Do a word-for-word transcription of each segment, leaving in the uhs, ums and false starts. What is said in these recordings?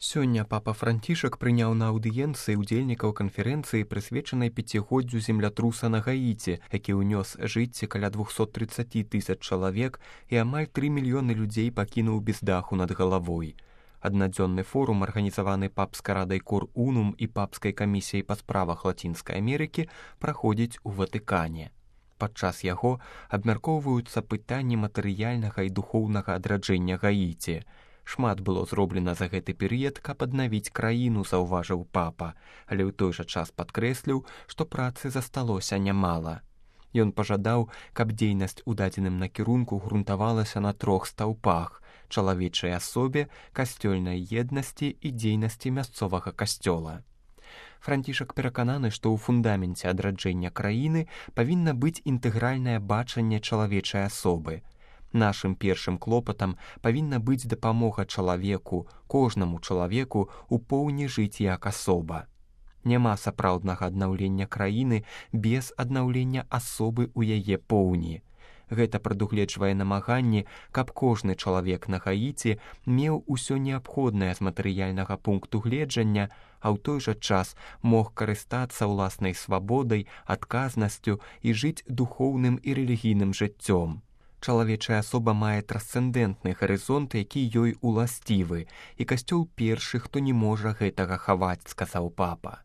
Сёння папа Францішак прыняў на аўдыенцыі ўдзельнікаў канферэнцыі, прысвечанай пяцігоддзю землятруса на Гаіці, які ўнёс жыцці каля двухсот трыццаці тысяч чалавек і амаль тры мільёны людзей пакінуў без даху над галавой. Аднадзённы форум, арганізаваны папскай радай Кор Унум і папскай камісіяй па справах Лацінскай Амерыкі, праходзіць у Ватыкане. Падчас яго абмяркоўваюцца пытанні матэрыяльнага і духоўнага адраджэння Гаіці. Шмат было зроблена за гэты перыяд, каб аднавіць краіну, заўважыў папа, але ў той жа час падкрэсліў, што працы засталося нямала. Ён пажадаў, каб дзейнасць у дадзеным накірунку грунтавалася на трох стаўпах: чалавечай асобе, касцёльнай еднасці і дзейнасці мясцовага касцёла. Францішак перакананы, што ў фундаменце адраджэння краіны павінна быць інтэгральнае бачанне чалавечай асобы. Нашым першым клопатам павінна быць дапамога чалавеку, кожнаму чалавеку у поўні жыць як асоба. Няма сапраўднага аднаўлення краіны без аднаўлення асобы ў яе поўні. Гэта прадугледжвае намаганні, каб кожны чалавек на Гаіці меў усё неабходнае з матэрыяльнага пункту гледжання, а ў той жа час мог карыстацца ўласнай свабодай, адказнасцю і жыць духоўным і рэлігійным жыццём. Чалавечая асоба мае трансцэндэнтны гарызонт, які ёй уласцівы, і касцёл першы, хто не можа гэтага хаваць, сказаў папа.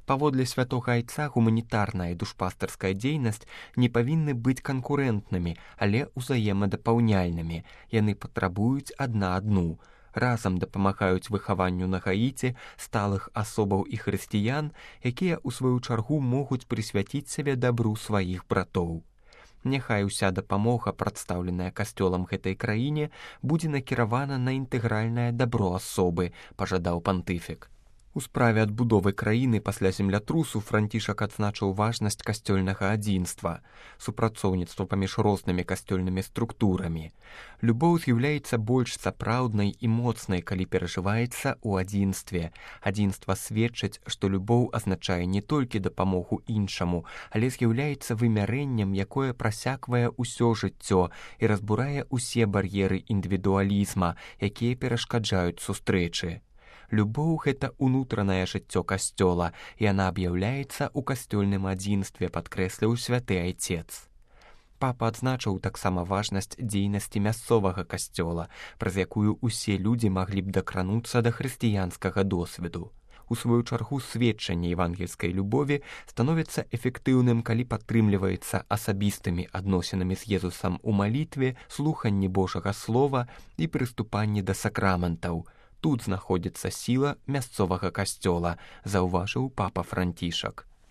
Паводле святога айца гуманітарная і душпастарская дзейнасць не павінны быць канкурэнтнымі, але ўзаемадапаўняльнымі. Яны патрабуюць адна адну. Разам дапамагаюць выхаванню на Гаіці сталых асобаў і хрысціян, якія ў сваю чаргу могуць прысвяціць сябе дабру сваіх братоў. Няхай уся дапамога, прадстаўленая касцёлам гэтай краіне, будзе накіравана на інтэгральнае дабро асобы, пажадаў пантыфік. У справе адбудовы краіны пасля землятрусу Францішак адзначыў важнасць касцёльнага адзінства, супрацоўніцтва паміж рознымі касцёльнымі структурамі. Любоў з'яўляецца больш сапраўднай і моцнай, калі перажываецца ў адзінстве. Адзінства сведчыць, што любоў азначае не толькі дапамогу іншаму, але з'яўляецца вымярэннем, якое прасяквае ўсё жыццё і разбурае ўсе бар'еры індывідуалізма, якія перашкаджаюць сустрэчы. Любоў – гэта ўнутранае жыццё касцёла, і яна аб'яўляецца ў касцёльным адзінстве, падкрэсліў святы айцец. Папа адзначыў таксама важнасць дзейнасці мясцовага касцёла, праз якую ўсе людзі маглі б дакрануцца да хрысціянскага досведу. У сваю чаргу сведчанне евангельскай любові становіцца эфектыўным, калі падтрымліваецца асабістымі адносінамі з Езусам у малітве, слуханні Божага слова і прыступанні да сакраментаў. Тут знаходзіцца сіла мясцовага касцёла, заўважыў папа Францішак.